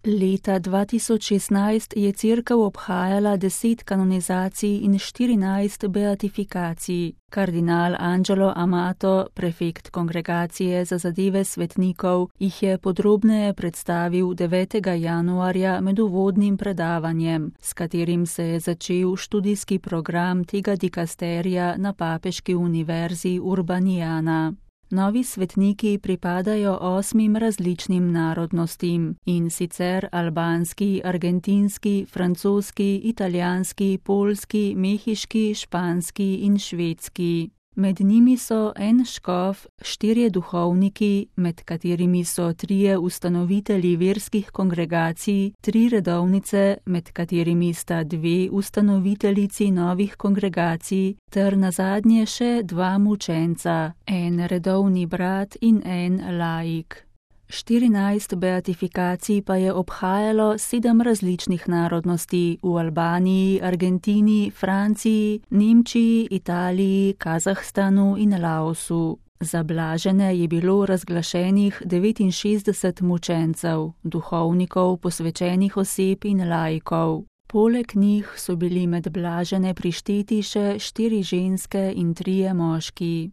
Leta 2016 je cerkev obhajala 10 kanonizacij in 14 beatifikacij. Kardinal Angelo Amato, prefekt Kongregacije za zadeve svetnikov, jih je podrobneje predstavil 9. januarja med uvodnim predavanjem, s katerim se je začel študijski program tega dikasterija na Papeški univerzi Urbaniana. Novi svetniki pripadajo 8 različnim narodnostim, in sicer albanski, argentinski, francoski, italijanski, poljski, mehiški, španski in švedski. Med njimi so en škof, 4 duhovniki, med katerimi so 3 ustanovitelji verskih kongregacij, 3 redovnice, med katerimi sta 2 ustanoviteljici novih kongregacij, ter nazadnje še 2 mučenca, en redovni brat in en laik. 14 beatifikacij pa je obhajalo 7 različnih narodnosti v Albaniji, Argentini, Franciji, Nemčiji, Italiji, Kazahstanu in Laosu. Za blažene je bilo razglašenih 69 mučencev, duhovnikov, posvečenih oseb in laikov. Poleg njih so bili med blažene prišteti še 4 ženske in 3 moški.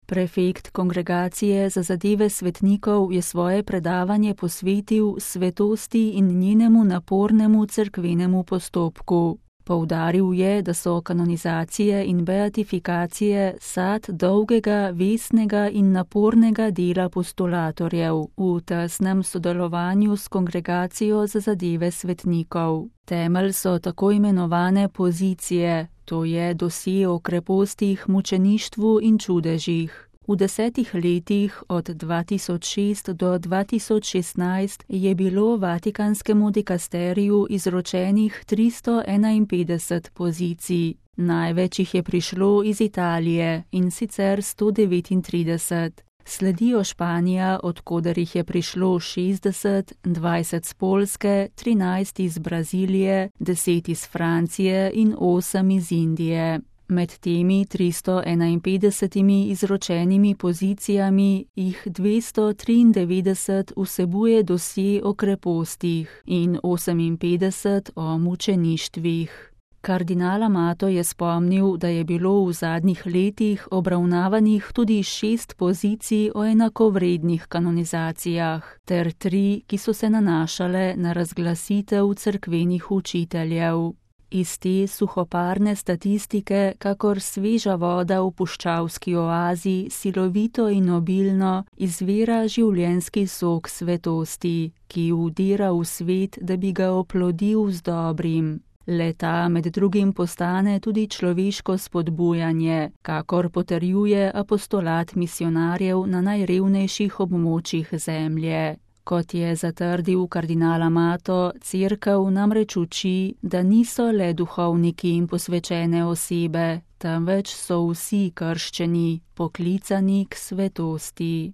Prefekt Kongregacije za zadeve svetnikov je svoje predavanje posvetil svetosti in njenemu napornemu cerkvenemu postopku. Poudaril je, da so kanonizacije in beatifikacije sad dolgega, vestnega in napornega dela postulatorjev v tesnem sodelovanju s Kongregacijo za zadeve svetnikov. Temelj so tako imenovane pozicije, to je dosje o krepostih, mučeništvu in čudežih. V 10 letih od 2006 do 2016 je bilo Vatikanskemu dikasteriju izročenih 351 pozicij. Največ jih je prišlo iz Italije, in sicer 139. Sledijo Španija, od koder jih je prišlo 60, 20 z Poljske, 13 iz Brazilije, 10 iz Francije in 8 iz Indije. Med temi 351 izročenimi pozicijami jih 293 vsebuje dosje o krepostih in 58 o mučeništvih. Kardinal Amato je spomnil, da je bilo v zadnjih letih obravnavanih tudi 6 pozicij o enakovrednih kanonizacijah, ter 3, ki so se nanašale na razglasitev cerkvenih učiteljev. Iz te suhoparne statistike, kakor sveža voda v puščavski oazi, silovito in obilno izvira življenjski sok svetosti, ki vdira v svet, da bi ga oplodil z dobrim. Le-ta med drugim postane tudi človeško spodbujanje, kakor potrjuje apostolat misionarjev na najrevnejših območjih zemlje. Kot je zatrdil kardinal Amato, cerkev namreč uči, da niso le duhovniki in posvečene osebe, temveč so vsi krščeni, poklicani k svetosti.